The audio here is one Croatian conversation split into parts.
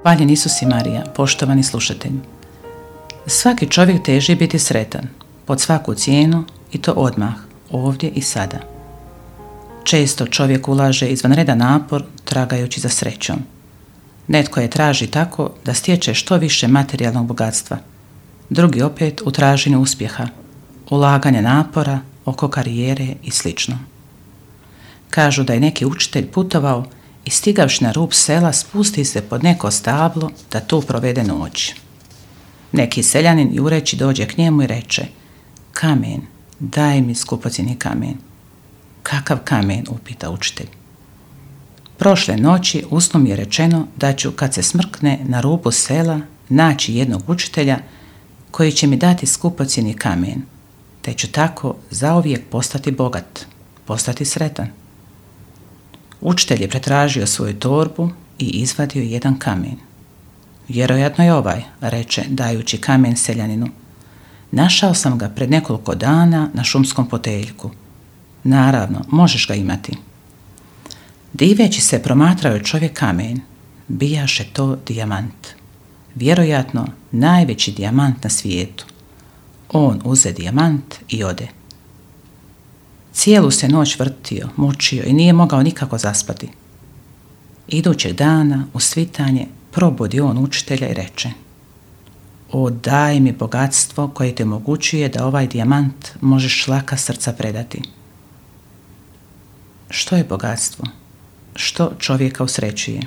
Hvaljen Isus i Marija, poštovani slušatelji. Svaki čovjek teži biti sretan, pod svaku cijenu i to odmah, ovdje i sada. Često čovjek ulaže izvanredan napor tragajući za srećom. Netko je traži tako da stječe što više materijalnog bogatstva, drugi opet u traženju uspjeha, ulaganja napora oko karijere i sl. Kažu da je neki učitelj putovao i stigavši na rub sela spusti se pod neko stablo da tu provede noć. Neki seljanin jureći dođe k njemu i reče: "Kamen, daj mi skupocjeni kamen." "Kakav kamen?" upita učitelj. "Prošle noći u snu mi je rečeno da ću kad se smrkne na rubu sela naći jednog učitelja koji će mi dati skupocjeni kamen, te ću tako zauvijek postati bogat, postati sretan." Učitelj je pretražio svoju torbu i izvadio jedan kamen. "Vjerojatno je ovaj," reče dajući kamen seljaninu. "Našao sam ga pred nekoliko dana na šumskom poteljku. Naravno, možeš ga imati." Diveći se promatrao je čovjek kamen. Bijaše to dijamant. Vjerojatno najveći dijamant na svijetu. On uze dijamant i ode. Cijelu se noć vrtio, mučio i nije mogao nikako zaspati. Idućeg dana u svitanje probudi on učitelja i reče: "O, daj mi bogatstvo koje te omogućuje da ovaj dijamant možeš laka srca predati." Što je bogatstvo? Što čovjeka usrećuje?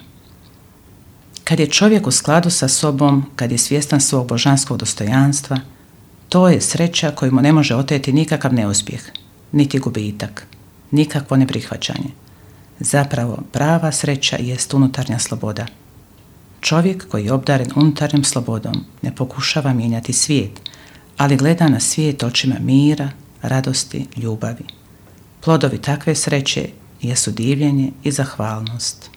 Kad je čovjek u skladu sa sobom, kad je svjestan svog božanskog dostojanstva, to je sreća koju mu ne može oteti nikakav neuspjeh, niti gubitak, nikakvo neprihvaćanje. Zapravo, prava sreća jest unutarnja sloboda. Čovjek koji je obdaren unutarnjom slobodom ne pokušava mijenjati svijet, ali gleda na svijet očima mira, radosti, ljubavi. Plodovi takve sreće jesu divljenje i zahvalnost.